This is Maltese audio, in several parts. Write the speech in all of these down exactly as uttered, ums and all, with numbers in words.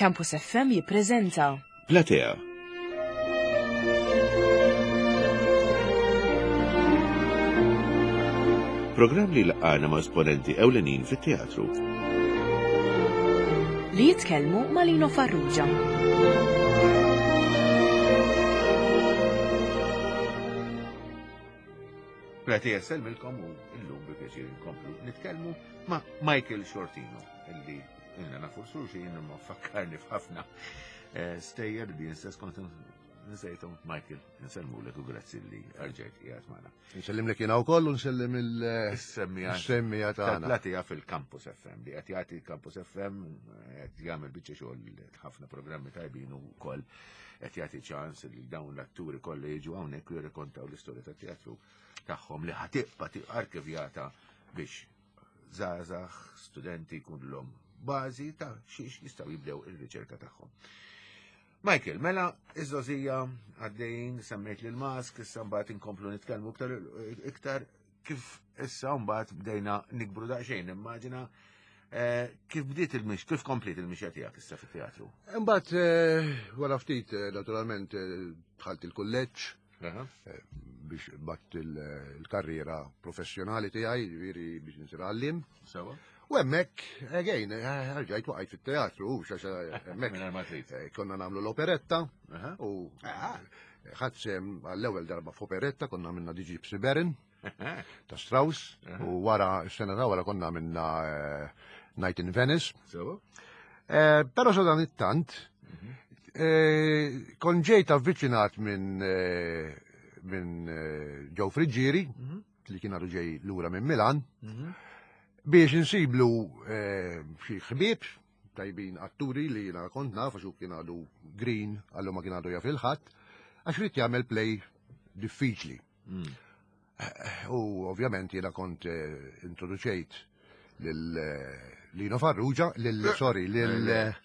Campus F M jippreżenta Platea. Programm li laqana ma' esponenti ewlenin fit-teatru. Li jitkellmu ma' Lino Farrugia. Platea sellmilkom u illum bi pjaċir nkomplu nitkellmu ma' Michael Sciortino, illi ilna nafu xulxin, imma fakkarni f'ħafna eh, stejjer li jien stess kont nsejthom. Michael, nsellmulek u grazzi li rġajt qiegħed magħna. Nsellimlek jiena wkoll u nsellem il-semmija il-semmija tagħna. Platea fil-Campus F M li qed jagħti Campus F M, qed jagħmel biċċa xogħol, ħafna programmi tajbin u wkoll qed jagħti ċans li dawn l-atturi kollha jiġu hawnhekk u jirrikontaw l-istorja tat-teatru tagħhom li ħa tibqa' arkivjata biex żgħażagħ, studenti jkunlhom bażi ta' xiex jistgħu jibdew ir-riċerka tagħhom. Michael, mela, iż-żgħożija għaddejjin, semmejt lil Mask, issa mbagħad inkomplu nitkellmu iktar iktar kif issa mbagħad bdejna nikbru daqsxejn, immaġina eh, kif bdiet il-mix, kif kompliet il-mixja tiegħek issa fit-teatru. Imbagħad eh, wara ftit eh, naturalment dħalt il-kulleġġ biex bat il-karriera professjonali tiegħi, ġifieri biex insir għallim. Sewa. U hemmhekk, again, rġajt waqajt fit-teatru, xaxa hemmhekk Mingħajr ma trid. Konna nagħmlu l-operetta Aha. u ħadt sehem għall-ewwel darba f'operetta, konna minna The Gypsy Baron ta' Strauss, u wara s-sena ta' wara konna minna eh, Night in Venice. Sewa. Eh, Però sa dan it-tant, eh, kon ġejt avviċinat minn eh, minn eh, Joe Friggieri, li kien għadu ġej lura minn Milan, biex insiblu eh, xi ħbieb tajbin, atturi li jiena kont naf, għax hu kien għadu green, għallu ma kien għadu jaf il-ħadd, għax ried jagħmel play diffiċli. U ovvjament jiena kont eh, introduċejt lil eh, Lino Farrugia, lil, sorry, lil eh,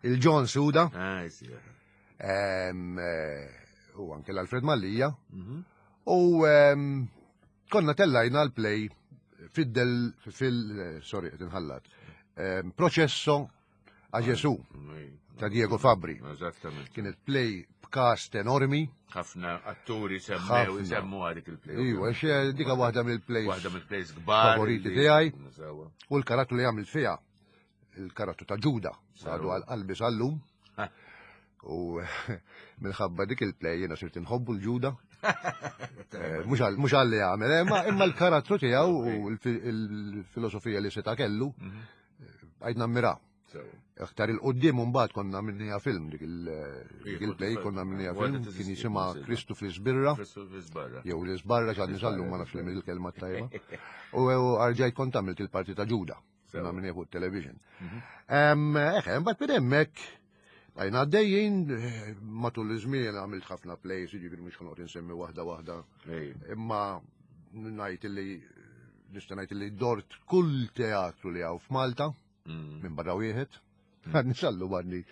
il-John Suda, Ah, sì. em, eh, u anke l-Alfred Mallia, u em, konna tellajna l-play fid-del, fil, eh, sorry, qed inħallat, em, Processo a Gesù ta' Diego Fabri. Eżattament. Kienet play b'cast enormi. Ħafna atturi semmew, Ħafna. semmu għadik il-play. Iwa, xe dika waħda mill-plays Waħda mill-plays kbar. favoriti li- tiegħi. Sewa. U l-karattru li għamilt fiha, il-karattru ta' Ġuda, għadu għal qalbi sal-lum. Ha. U minħabba dik il-play jiena sirt inħobbu l-Ġuda. Eh, Mhux għal- mhux għal li għamel, eh, imma imma l-karattru tiegħu u l-fi- il-filosofija li seta' kellu, għajt nammira. Sewa. Aktar il-qoddim mbagħad konna minnija film dik il- dik il-play, konna minnija Waħda film teżisti, kien jisimha teżisti. Kristu fl-Isbirra Kristu fl-Isbarra. jew l-Isbarra, x'għadni sal-lum ma nafx li il-kelma tajba. U rġajt kont għamilt il-parti ta' Ġuda. Konna minnija fuq television. Em, Eħe, mbagħad minn hemmhekk bqajna għaddejjin, eh, matul iż-żmien għamilt ħafna plays, jiġifieri mhux ħa noqgħod insemmi waħda waħda. Ej. Imma ngħid li nista' ngħid li dort kull teatru li hawn f'Malta Mm. minn barra wieħed. Għadni sal-lum għadni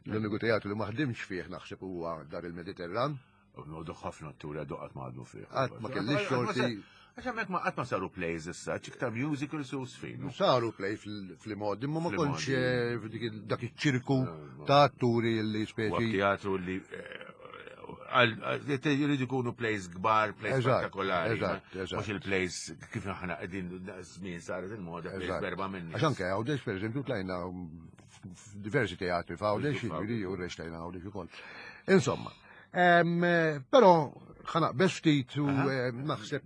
l-uniku teatru li ma ħdimx fih naħseb huwa Dar il-Mediterran. Nodu ħafna atturi għadu qatt ma għadmu fih. Qatt ma kellix xorti. Għax hemmhekk ma qatt ma saru plays issa, iktar musicals u sfin. Saru play fil-modi, imma ma Fil-modi. kontx eh, f'dik il- dak iċ-ċirku ta' atturi li U speċi. teatru li eh, għal- għal- jridu jkunu plays kbar, plays Eżatt, spettakolari. eżatt, eżatt. Mhux il-plays kif aħna qegħdin żmien saret il-moda plays Eżatt. berba minni. Għax anke Għawdex, per eżempju, tlajna f'diversi teatri f'Għawdex, jiġifieri u reċtajna Għawdex ukoll. Insomma, em, eh, però ħa naqbeż ftit u eh, naħseb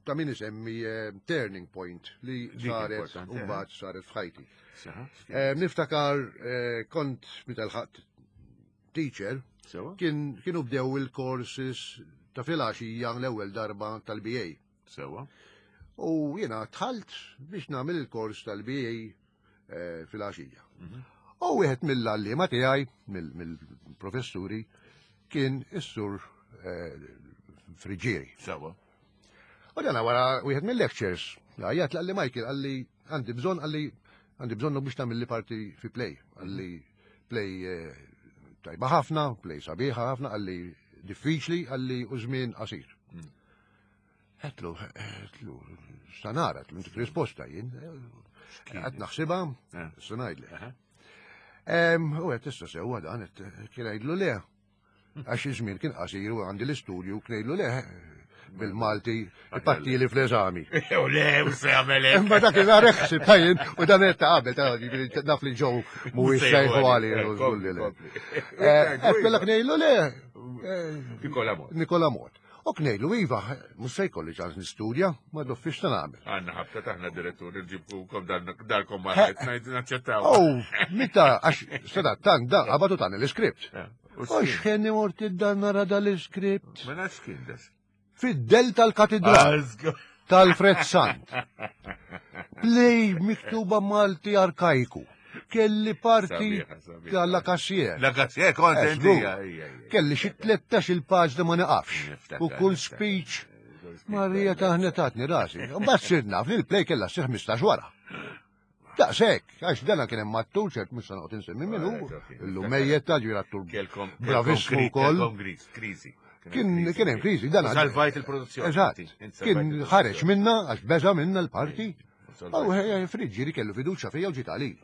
ta' min isemmi eh, turning point li Dik saret importanti, u eh. mbagħad saret f'ħajti. Sewa. Eh, Niftakar eh, kont meta lħaqt teacher, Sewa. kien kienu bdew il-courses ta' filgħaxija l-ewwel darba tal-B A. Sewa. U jiena dħalt biex nagħmel il-kors tal-B A eh, filgħaxija. U wieħed mill-għalliema tiegħi, mill- mill-professuri, kien is-sur eh, Friggieri. Sewa. U dana wara wieħed mill-lectures, għajjat qalli, "Michael," qalli, "għandi bżonn," qalli, "għandi bżonnu biex tagħmel li parti fi play." Qalli, "Play eh, tajba ħafna, play sabiħa ħafna," qalli, "diffiċli," qalli, "u żmien qasir." Għedtlu, għedtlu, "Sa nara," għedtlu, "intik risposta jien. Għad naħsibha, Eh. sa ngħidlek." Aha. U għedt issa sewwa dan, kien għidlu le. Għax iż-żmien kien qasir u għandi l-istudju kien għidlu le bil-Malti ipattili fl-eżami. U le, u se jagħmel Imma dak il ħsib tajjin u dan qed ta' qabel naf li ġew mhuwiex sejħu għali u żgur li le. Qed kellek ngħidlu le. Nikola Mot. Nikola Mot. U knejlu, iva, mhux se jkolli ċans nistudja, ma doffix ta' nagħmel. Għandna ħabta taħna direttur nġibkukom darkom ma naċċettaw. Oh, meta għax sada tan da qabatu tan l-iskript. U x'ħenni mort id-dan nara dal-iskript. Ma nafx kien das. Fid-del tal-katedral. Tal-Fred Sant. Play miktuba Malti arkajku. Kelli parti tal-La Cassier. La Cassier, kont Kelli xi tlettax il-paġna ma naqafx. U kull speech Marija taħnetatni rasi. Mbagħad sir naf li l-play kellha ssir ħmistax wara. Daqshekk, għax dana kien hemm attur ċert mhux se noqgħod insemmi minnu, illum mejjet ta' ġifieri attur bravissmu wkoll. Kien kien hemm kriżi, dan Salvajt il-produzzjoni. Eżatt. Kien ħareġ minna għax beża minna l-parti. U Friġġieri kellu fiduċja fija u ġiet għalija.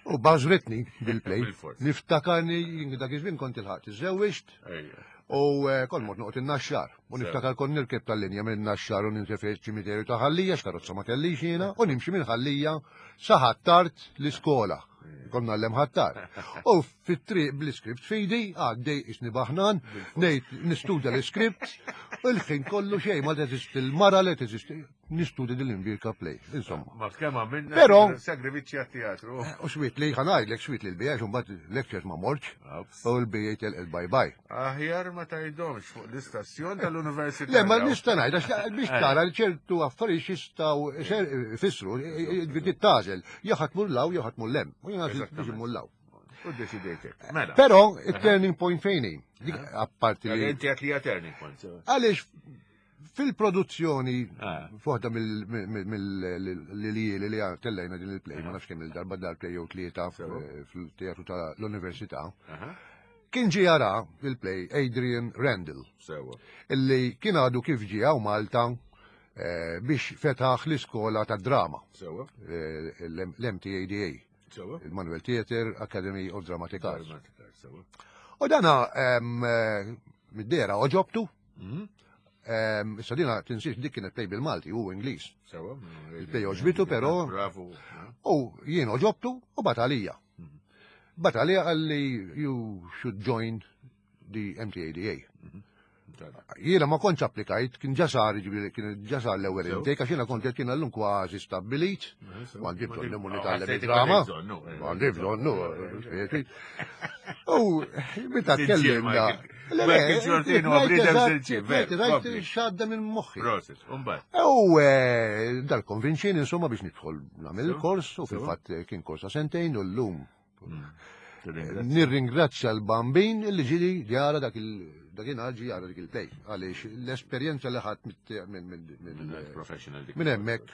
U bażritni bil-play. Niftakarni dak iż-żmien kont il-ħadd iżżewwiġt. U kont mort noqgħod in-Naxxar. U niftakar kont nirkeb tal-linja minn Naxxar u ninżel fiċ-ċimiterju ta' Ħallija x'karozza ma kellix jiena u nimxi minn Ħallija sa Ħattart l-iskola. Kont ngħallem Ħattart. U fit-triq bl-iskript fidi għaddej isni baħnan, ngħid nistudja l-iskript, u l-ħin kollu xejn ma teżisti l-mara li teżisti nistudja din l-imbirka play. Insomma. Ma kemm għamilna Però sagrifiċċji għat-teatru. U swit li ħa ngħidlek swit li l-bija mbagħad lectures ma mortx u l-bija telqet bye bye. Aħjar ma tgħidhomx fuq l-istazzjon tal-università. Le, ma nista' ngħid għax biex tara li ċertu affarijiet jistgħu ifissru ġifieri tagħżel jew ħadd mur law jew ħadd mur lem. U jien għażilt biex immur law. U ddeċidejtek. Mela. Però it-turning point fejn hi? Dik apparti li. Inti għedt li hija turning point. Għaliex fil-produzzjoni f'waħda mill-lili li tellejna din il-play, ma nafx kemm il-darba dar-play jew tlieta fil-teatru tal-Università, kien ġie jara il-play Adrian Randall. Illi kien għadu kif ġie hawn Malta biex fetaħ l-iskola tad-drama. L-M T A D A. Il-Manuel Theatre Academy of Dramatic Arts. U dana mid-dera oġobtu. Issa dina tinsiex dik kienet play bil-Malti u Ingliż. Il-play oġbitu però. U jien oġobtu u bat għalija. Bat għalija għalli you should join the M T A D A. Jiena ma kontx applikajt, kien ġa sar, jiġifieri kien ġa sar l-ewwel intake, għax jiena kont qed kien llum kważi stabbilit, ma għandi bżonn imur nitgħallem id-drama. Ma għandi bżonn, nu. U meta tkellimna. X'għadda minn moħħi. U dal-konvinċini insomma biex nidħol nagħmel il-kors u fil-fatt kien kors ta' sentejn u llum. Nirringrazzja l-bambin li ġili jara dak il-dakinhar ġi jara dik il-play. Għaliex l-esperjenza li ħadd minn hemmhekk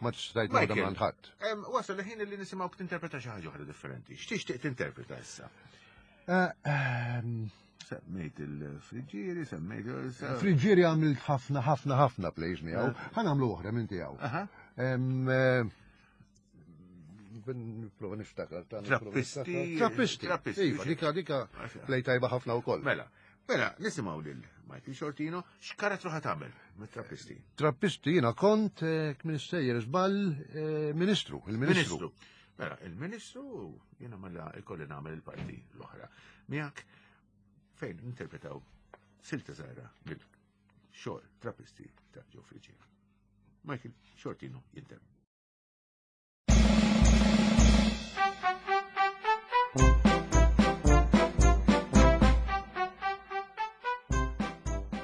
ma tistajt nagħmel ma' ħadd. Wasal il-ħin li nisimgħu tinterpreta xi ħaġa oħra differenti. X'tixtieq tinterpreta issa? Semmejt il-Friġġieri, semmejt Friġġieri għamilt ħafna ħafna ħafna plays miegħu. Ħa nagħmlu oħra minn tiegħu. Nipprova niftakar. Trappisti. Trappisti. Iva, dika dika play tajba ħafna wkoll. Mela, mela, nisimgħu lil Michael Sciortino, x'karattru ħa tagħmel mit-Trappisti? Trappisti jiena kont kmin sejjer żball ministru, il-ministru. Mela, il-ministru jiena mela ikolli nagħmel il-parti l-oħra. Miegħek fejn interpretaw silta żgħira mill-xogħol Trappisti ta' Joe Friggieri. Michael Sciortino jinterpreta.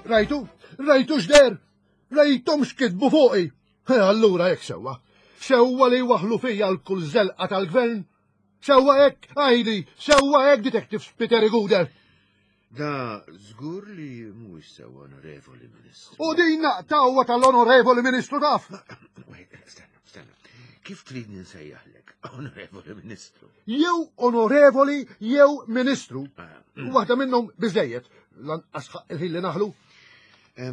Rajtu, rajtu x'der, rajtom x'kitbu fuqi. Allura hekk sewwa. Sewwa li waħlu fija l-kull żelqa tal-gvern. Sewwa hekk, għajdi, sewwa hekk Detective Peter Guder. Da żgur li mhuwiex sewwa, Onorevoli Ministru. U din naqtawwa tal-Onorevoli Ministru taf. Stenna, stenna. Kif trid ninsejjaħlek, Onorevoli Ministru? Jew Onorevoli jew Ministru. Waħda minnhom biżejjed, lanqas ħaq il-ħin li naħlu. Li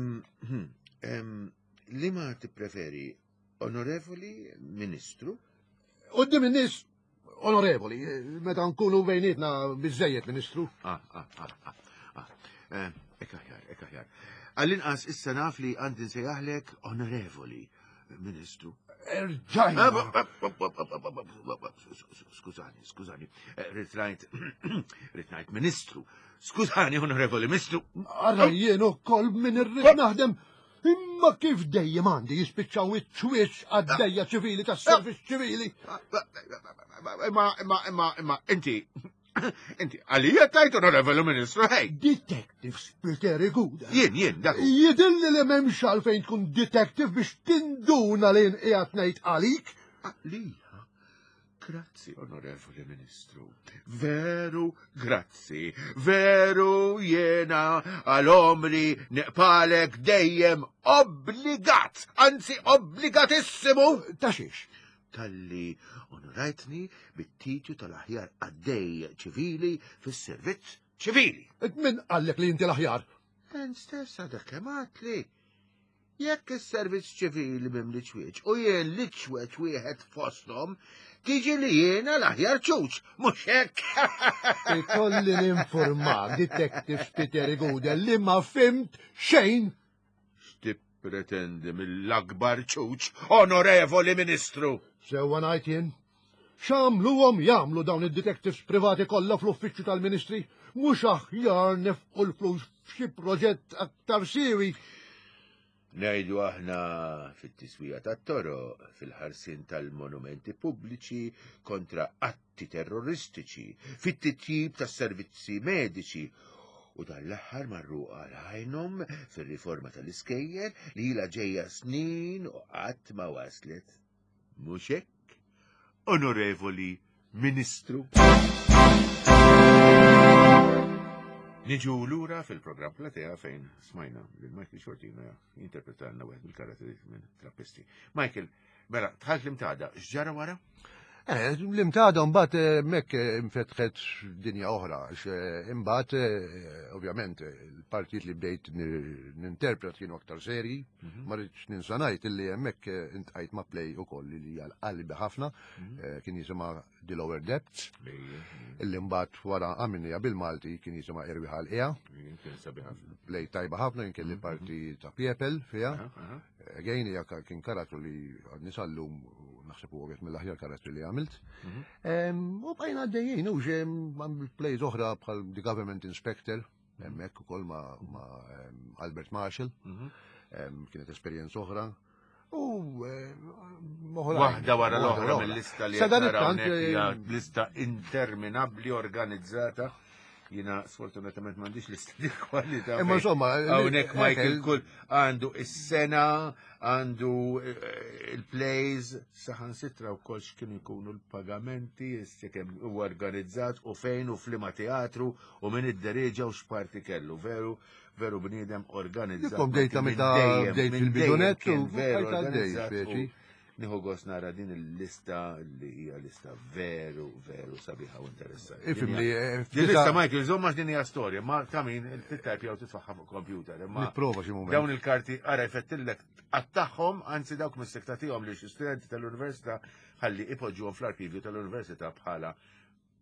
ma tippreferi, Onorevoli Ministru? Qudiem in-nies Onorevoli, meta nkunu bejnietna biżejjed, Ministru. Ah, ah, ah, ah, ah. Eh, Ek aħjar, ek aħjar. Għall-inqas issa naf li għandi nsejjaħlek onorevoli, Ministru. Erġajna. Skużani, skużani. Eh, Ridt ngħid, ridt ngħid Ministru. Skużani, onorevoli Ministru. Ara jien ukoll min irrid naħdem. Imma kif dejjem għandi jispiċċaw iċ-ċwieċ għaddejja ċivili tas-servizz ċivili. Imma, imma, imma, imma, inti, inti, għalija tajt onorevoli Ministru, hej. Detective Spiteri Gouder. Jien, jien, dak. hu. Jidilli li m'hemmx għalfejn tkun detective biex tinduna li qiegħed ngħid għalik. Għalija. Grazzi, onorevoli Ministru. Veru, grazzi. Veru jena għal-omri neqpalek dejjem obbligat, anzi obbligatissimu. Ta' xiex? Talli onorajtni bit-titju tal-aħjar għaddej ċivili fis-servizz ċivili. Min qallek li inti l-aħjar? Int stess għadek kemm għedtli. Jekk is-servizz ċivili mimli ċwieċ u jien li ċweċ wieħed fosthom, tiġi li jiena l-aħjar ċuċ, mhux hekk. Ikolli ninformak, Detective Spiteri Gouder, li ma fhimt xejn. X'tippretendi mill-akbar ċuċ, onorevoli Ministru? Sewwa ngħid jien. X'għamluhom jagħmlu dawn id-detectives privati kollha fl-uffiċċju tal-Ministri? Mhux aħjar nefqu l-flus f'xi proġett aktar siewi. Ngħidu aħna fit-tiswija tat-toroq, fil-ħarsien tal-monumenti pubbliċi kontra atti terroristiċi, fit-titjib tas-servizzi mediċi, u dal-aħħar marru għal ħajnhom fir-riforma tal-iskejjel li ilha ġejja snin u qatt ma waslet. Mhux hekk, onorevoli Ministru? Niġu lura fil-programm Platea fejn smajna lil Michael Sciortino jinterpretalna wieħed mill-karatteri minn Trappisti. Michael, mela, dħalt l-Imtada, x'ġara wara? Eh, L-Imtada mbagħad eh, hemmhekk eh, infetħet dinja oħra, għax, eh, imbagħad eh, ovvjament eh, il-partijiet li bdejt ni- ninterpret kienu aktar serji, ma rridx ninsa ngħid illi hemmhekk eh, iltqajt ma' play ukoll li hija qalbi ħafna, eh, kien jisimha The Lower Depths, illi mbagħad wara għamilniha bil-Malti kien jisimha Erwieħ għall-Qiegħa, Kien sabiħ ħafna. play tajba ħafna, jien kelli parti ta' Piepel fiha. Aha, aha. Again, hija ka- kien karattru li għadni sal-lum u naħseb huwa wieħed mill-aħjar karattri li għamilt. Em, U bqajna għaddejjin, u ġem għamilt plays oħra bħal The Government Inspector, hemmhekk ukoll ma' ma' em, Albert Marshall, Mhm. em, kienet esperjenza oħra. U em, oħrajn. Waħda wara l-oħra Waħda mill-lista li Sa dan qed naraw it-tant, hawnhekk hija eh, lista interminabbli organizzata. Jiena sfortunatament m'għandix lista di kwalità. Imma fejn insomma, hawnhekk eh, Michael eh, kull għandu is-sena, għandu eh, il-plays, saħansitra wkoll x'kienu jkunu l-pagamenti, issa kemm huwa organizzat u fejn u f'liema teatru u min idderieġa u x'parti kellu. Veru, veru bniedem organizzat. Dikkom bdejta Minn meta dejjem, bdejt minn fil-bidunet dejjem kien u veru bqajt għaddej, organizzat u speċi. Nieħu gost nara din il-lista li hija lista veru, veru sabiħa u interessanti. Ifhimni, eh, Din lista, Michael, żomma din hija storja, ma ta' min tittajpja u titfaħħa fuq computer. Imma Nipprova xi mument. dawn il-karti ara jfettillek għattaħħom, anzi dawk mis-sektatihom li xi studenti tal-università ħalli ipoġġuhom fl-arkivju tal-università bħala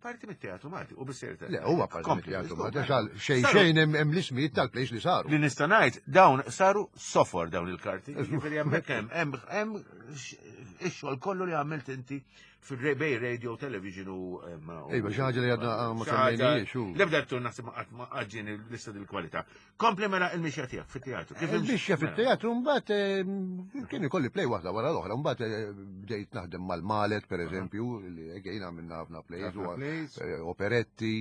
parti mit-teatru Malti u bissejr Le, huwa parti mit-teatru Malti, għax għal xejn Saru- xejn hemm hemm l-ismijiet tal-plays li saru. Li nista' ngħid dawn saru sofor dawn il-karti. Jiġifieri hemmhekk hemm hemm hemm x- ix-xogħol kollu li għamilt inti fil-bej radio, television u em, u- Iva, xi ħaġa li għadna ma xi ħaġa- semmejnijiex, u- L-ebda tul naħseb ma qatt ma qaġġini l-lista dil-kwalità. Kompli mela il-mixja tiegħek fit-teatru. Kif Il-mixja mela. fit-teatru mbagħad eh, kien ikolli play waħda wara l-oħra, mbagħad eh, bdejt naħdem mal-Malet pereżempju, li again għamilna ħafna plays, Ħafna u, plays. eh, operetti.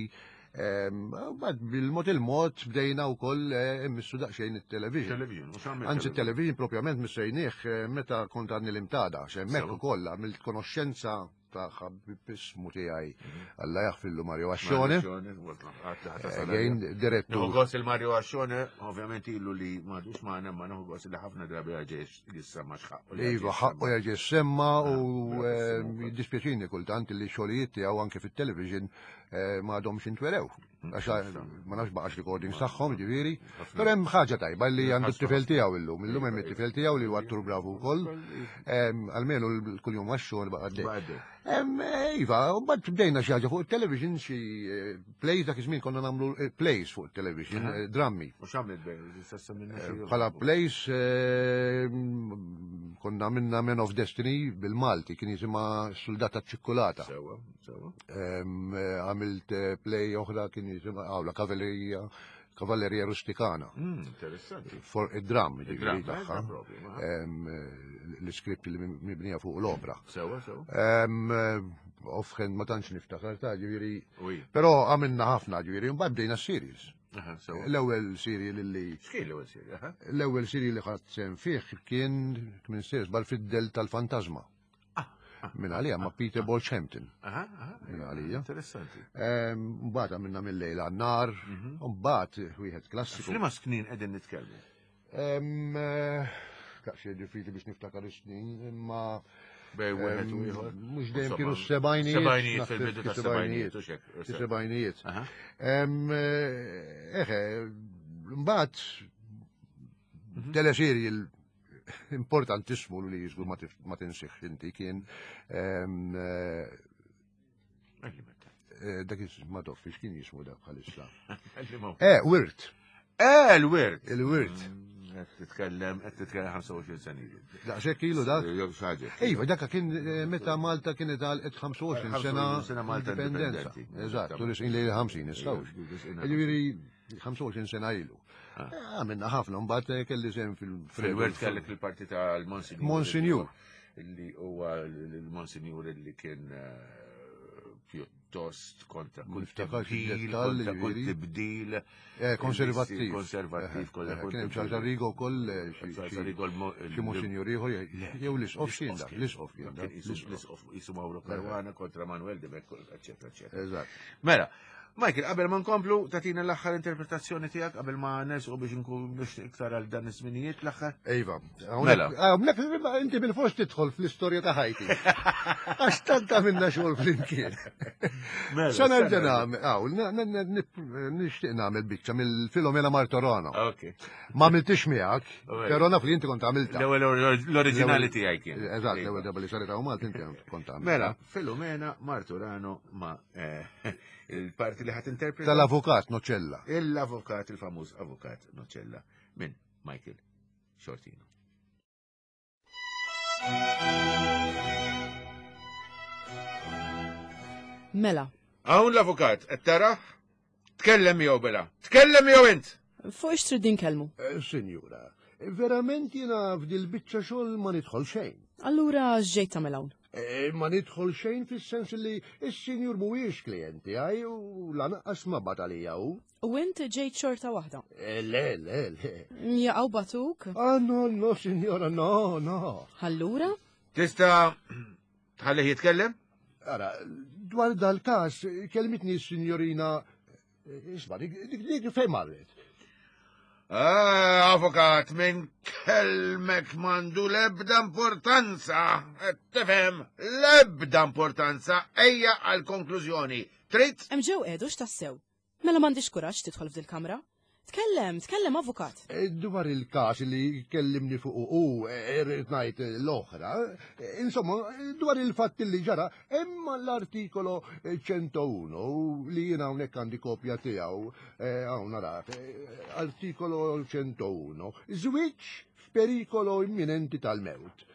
Em, Mbagħad bil-mod il-mod bdejna wkoll eh, immissu daqsxejn it-television. Television, u x'għamilt Anzi, television propjament missejnieh eh, meta kont għadni l-Imtada, hemmhekk Sewa. ukoll għamilt konoxxenza ta' ħabib ismu tiegħi Alla jaħfirlu Mario Ascione. Again, direttur. Nieħu gost il-Mario Ascione, ovvjament ilu li m'għadux magħna, ma nieħu gost li ħafna drabi għaġex jissemma x'ħaqqu. li Iva, għaġex ħaqqu jissemma. jerġa' semma u Ah, eh, bravissimo. jiddispjaċini kultant li xogħlijiet tiegħu anke fit-television ma għadhomx intwerew. Għax ma nafx baqax recordings tagħhom, ġifieri. Però hemm ħaġa tajba li għandu t-tifel tiegħu illum. Illum hemm it-tifel tiegħu li huwa attur bravu wkoll. Almenu kuljum għax-xogħol baqa' għaddej. Iva, u mbagħad bdejna xi ħaġa fuq it-television, xi plays, dak iż-żmien konna nagħmlu plays fuq it-television, drammi. U x'għamilt bejn? Bħala plays konna għamilna Man of Destiny bil-Malti, kien jisimha Soldata Ċikkulata. Sewa, sewa. Għamilt play oħra kien jisimha Awla Kavallerija, Kavallerija Rustikana. Interessanti. For id-dram, ġifieri tagħha. L-iskript li mibnija fuq l-opra. Sewa, sewa. Offhand ma tantx niftakar ta' ġifieri. Però għamilna ħafna ġifieri, mbagħad bdejna series. L-ewwel serial li. X'kien l-ewwel serial? L-ewwel serial li ħadt sehem fih kien minn series bal fid-del tal-Fantasma. Minn għalija ma' Peter Bolshampton. Minn għalija. Interessanti. Mbagħad għamilna mill-lejl għan-nar, mbagħad wieħed klassiku. F'liema snin qegħdin nitkellmu? Daqsxejn diffiċli biex niftakar is-snin, imma Bej wieħed u ieħor. Mhux dejjem kienu s-sebgħinijiet. Sebgħinijiet fil-bidu tas-sebgħinijiet u xek. Sebgħinijiet. Eħe, mbagħad teleserjal importantissimu li jiżgur ma tinsiex inti kien dak ma toffi x'kien jismu dak bħalissa. Eh, Wirt. Eh, l-Wirt. Il-Wirt. Qed titkellem, qed titkellem ħamsa u għoxrin sena ilu. Daqshekk ilu dak? Jew xi ħaġa. Iva, dak kien meta Malta kienet għalqet ħamsa u għoxrin sena sena Malta indipendenza. Eżatt, tu risqin lejn il-ħamsin, nistgħux. Ġifieri ħamsa u għoxrin sena ilu. Għamilna ħafna, mbagħad kelli sehem fil- Fil-Wirt kellek il-parti tal-Monsinjur. Monsinjur. Li huwa l-Monsinjur li kien pjuttost kontra kull tibdil, kontra kull tibdil. Konservattiv. Konservattiv, kollha. Kien hemm Charles Arrigo wkoll, xi Monsinjur ieħor, jew l-Isqof x'kien dak, l-Isqof kien dak. L-Isqof jisu Mauro Caruana kontra Manuel de Becco, eccetera, eccetera. Eżatt. Mela, Michael, qabel ma nkomplu, tatina l-aħħar interpretazzjoni tiegħek qabel ma nersqu biex nkun biex iktar għal dan iż-żminijiet l-aħħar? Iva. Mela. Hawnhekk inti bil-fors tidħol fl-istorja ta' ħajti. Għax tant għamilna xogħol flimkien. Mela, Sa nerġa' nagħmel, hawn, nixtieq nagħmel biċċa mill-Filomena Martorano. Ok. Ma għamiltix miegħek, però naf li inti kont għamilta. L-ewwel l-oriġinali tiegħi kien. Eżatt, l-ewwel darba li saret hawn Malta inti kont għamilta. Mela, Filomena Martorano ma' il-parti li ħat interpreta. Tal-avukat Nocella. Il-avukat, il-famuż avukat Nocella minn Michael Sciortino. Mela. Hawn l-avukat, qed tara? Tkellem jew bela. Tkellem jew int. Fuq ix trid inkellmu? Sinjura, verament jiena f'dil biċċa xogħol ma nidħol xejn. Allura x'ġejt tagħmel hawn? Ma nidħol xejn fis-sens li s-sinjur mhuwiex klijenti għaj u lanqas ma bat għalija hu. U int ġejt xorta waħda? Le, le, le. Jaqgħu batuk? Ah, no, no, sinjora, no, no. Allura? Tista' tħallih jitkellem? Ara, dwar dal-każ kelmitni s-sinjorina. Isma', dik dik fejn marret? Ah, avukat, minn kelmek mandu lebda importanza. Tifhem, lebda importanza. Ejja għal konklużjoni. Trid? Hemm ġew qiegħdu x'tassew. Mela m'għandix kuraġġ tidħol f'dil-kamra. Tkellem, tkellem, avukat. Dwar il-każ li kellimni fuq u irrid ngħid l-oħra, insomma, dwar il-fatt li ġara, imma l-artikolo ċentounu li jiena hawnhekk għandi kopja tiegħu, hawn narak, artikolo ċentounu, żwieġ f'perikolo imminenti tal-mewt.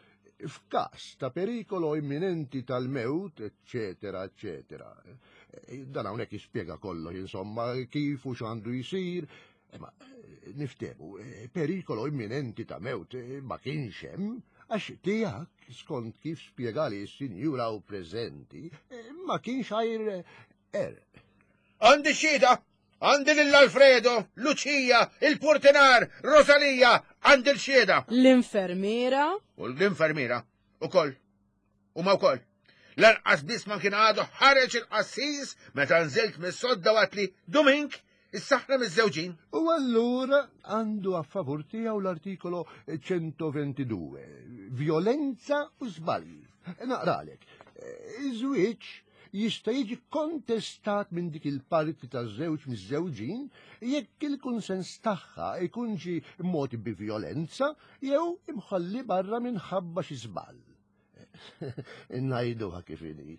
F'każ ta' perikolo imminenti tal-mewt, eccetera, eccetera. Dan hawnhekk jispjega kollox, insomma, kif u x'għandu jsir. Ma niftehmu, perikolo imminenti ta' mewt ma kienx hemm, għax tiegħek, skont kif spjegali s-sinjura u preżenti, ma kienx għajr erq. Għandi xhieda, għandi lil Alfredo, Lucia, il-Portinar, Rosalia, għandi l-xhieda. L-infermiera? U l-infermiera, ukoll, u ma wkoll. Lanqas biss ma kien għadu ħareġ il-qassis meta nżilt mis-sodda waqt li Domink is-saħna miż-żewġin. U allura għandu a favur tiegħu l-artikolo ċentoventidue, violenza u żbalji. Naqralek, iż-żwieġ jista' jiġi kontestat minn dik il-parti taż-żewġ miż-żewġin jekk il-kunsens tagħha ikun ġie mogħti bi vjolenza jew imħalli barra minħabba xi żball. Ngħiduha kif inhi.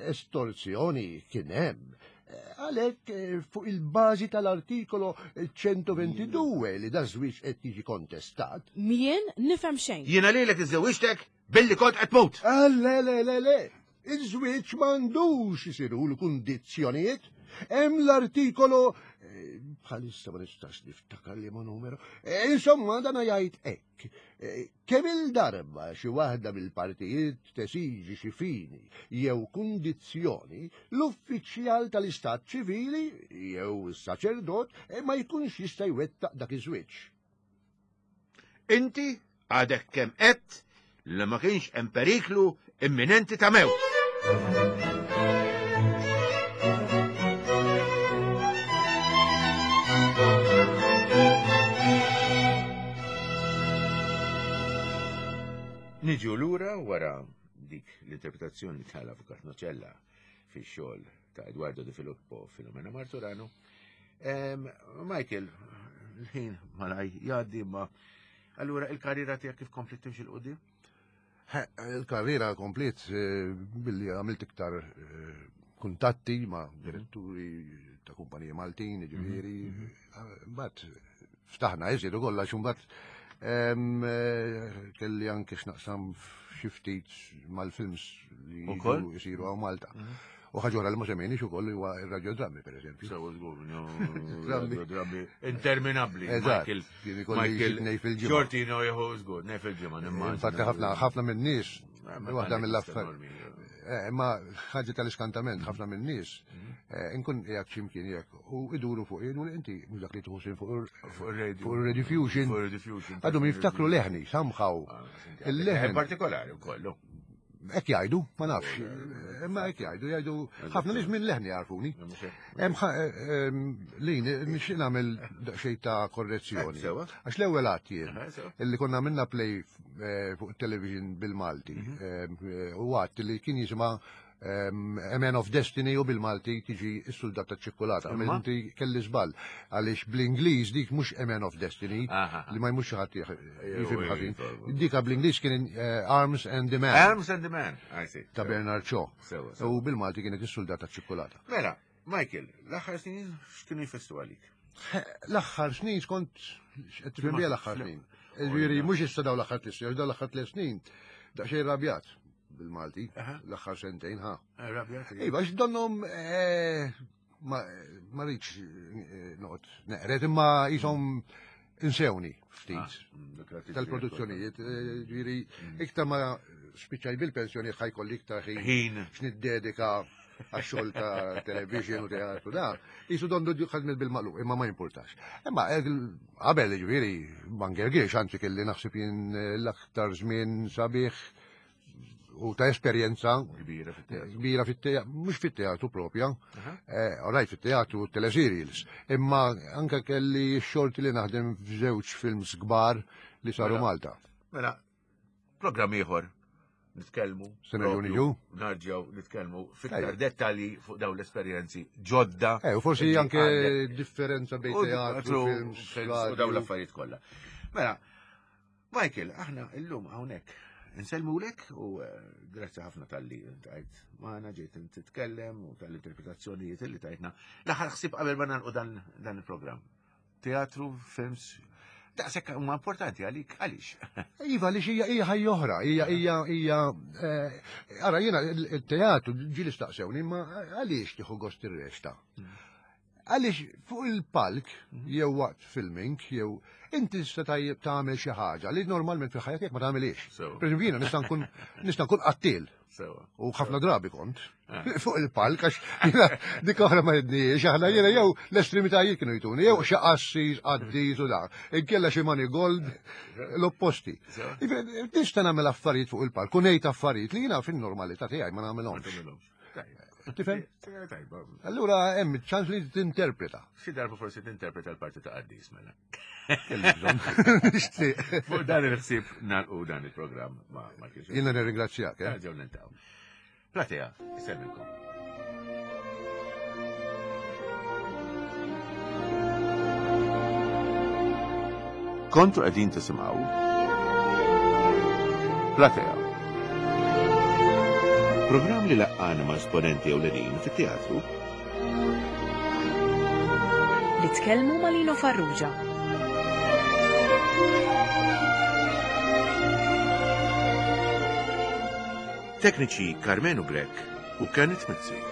Estorzjoni kien hemm. Għalhekk fuq il-bażi tal-artikolo ċentoventidue li da żwieġ qed jiġi kontestat. Mien nifhem xejn. Jiena lilek iżżewġtek billi kont qed tmut. Ah, le, le, le, le. Iż-żwieġ m'għandux isiru l-kundizzjonijiet. Hemm l-artikolo bħalissa ma nistax niftakar li ma numero. Insomma, dan jgħid hekk. Kemm il-darba xi waħda mill-partijiet tesiġi xi fini jew kundizzjoni, l-uffiċjal tal-istat ċivili jew is-saċerdot ma jkunx jista' jwettaq dak iż-żwieġ. Inti għadek kemm qed li ma kienx hemm periklu imminenti ta' mewt. Niġu lura wara dik l-interpretazzjoni tal-Avukat Nocella fix-xogħol ta' Eduardo De Filippo Filomena Marturano. Michael, l-ħin malaj jgħaddi ma allura il-karriera tiegħek kif komplet timxi 'l quddiem? Il-karriera komplet billi għamilt iktar kuntatti ma' diretturi ta' kumpaniji Maltin, ġifieri, mbagħad ftaħna iżjed ukoll għax imbagħad kelli anke x'naqsam xi ftit mal-films li jsiru hawn Malta. U ħaġa oħra li ma semmejniex ukoll huwa ir-radiodrammi pereżempju. Sewa żgur, radiodrammi interminabbli. Michael, Michael, Xortino jieħu żgur, nej fil-ġimgħa nimmaġina. Infatti ħafna ħafna min-nies, waħda mill-affarijiet. Imma ħaġa tal-iskantament, ħafna min-nies, inkun qiegħed x'imkien jekk u iduru fuq jgħidu li inti mhux dak li tieħu sin fuq ir-Rediffusion. Għadhom jiftakru leħni, somehow. Il-leħen partikolari wkoll. Hekk jgħidu, ma nafx, imma hekk jgħidu, jgħidu ħafna nies minn leħni jarfuni. Lin, nixtieq nagħmel daqsxejn ta' korrezzjoni. Għax l-ewwel għadd jien illi konna għamilna play fuq television bil-Malti u għadd li kien jisimha A Man of Destiny u bil-Malti tiġi s-soldat ta' ċikkulata. Inti kelli żball għaliex bl-Ingliż dik mhux A Man of Destiny li ma jmux xi ħadd jifhem ħażin. Dika bl-Ingliż kien Arms and the Man. Arms and the Man, I see. Ta' Bernard Shaw. U bil-Malti kienet is-soldat ta' ċikkulata. Mela, Michael, l-aħħar snin x'kienu jfessu għalik? L-aħħar snin skont qed tifhem bija l-aħħar snin. Ġifieri mhux issa dawn l-aħħar tliet snin, dawn l-aħħar tliet snin daqsxejn rabjat. Bil-Malti, l-aħħar sentejn, ha. Iva, għax donhom ma rridx noqgħod neqred, imma qishom insewni ftit tal-produzzjonijiet, ġifieri iktar ma spiċċaj bil-pensjoni ħajkolli iktar ħin x'niddedika għax-xogħol ta' television u teatru da, jisu dondu ħadmet bil-maqlub, imma ma jimpurtax. Imma qabel ġifieri ma ngergirx, anzi kelli naħseb jien l-aktar żmien sabiħ u ta' esperjenza kbira fit-teatru, kbira fit-teatru, mhux fit-teatru propja, orajt fit-teatru teleserials, imma anke kelli x-xorti li naħdem f'żewġ films kbar li saru Malta. Mela, programm ieħor nitkellmu, narġgħu nitkellmu fiktar dettalji fuq dawn l-esperjenzi ġodda. Eh, u forsi anke differenza bejn teatru, films u dawn l-affarijiet kollha. Mela, Michael, aħna llum hawnhekk Nsellmulek u grazzi ħafna tal-li tajt maħna ġejt titkellem u tal-interpretazzjonijiet li tajtna. L-aħħar ħsieb qabel ma nagħlqu dan il-programm. Teatru, films, daqshekk huma importanti għalik għaliex? Iva, għaliex hija hija ħajja oħra, hija hija hija ara jiena il-teatru ġieli staqsewni imma għaliex tieħu gost ir-rexta? Għaliex fuq il-palk jew waqt filming jew inti tista' tajjeb tagħmel xi ħaġa li normalment fil-ħajja tiegħek ma tagħmilhiex. Pereżempju jiena nista' nkun nista' nkun qattiel. U ħafna drabi kont fuq il-palk għax dik oħra ma jidniex aħna jiena jew l-estremitajiet kienu jtuni jew xi qassis qaddis u dak. Inkella xi money gold l-opposti. Nista' nagħmel affarijiet fuq il-palk u ngħid affarijiet li jiena fin-normalità tiegħi ma nagħmilhomx. Tifhem? Allura hemm ċans li tinterpreta. Xi darba forsi tinterpreta l-parti ta' qaddis mela. Nixtieq. Fuq dan il-ħsieb nagħlqu dan il-programm ma' Michael. Jiena nirringrazzjak. Nerġgħu niltaqgħu. Platea, isellmilkom. Kontu qegħdin tisimgħu Platea. Programm li laqqana ma' esponenti ewlenin fit-teatru Li tkellmu ma' Lino Farrugia. Tekniċi Carmenu Grech u Kenneth Mizzi.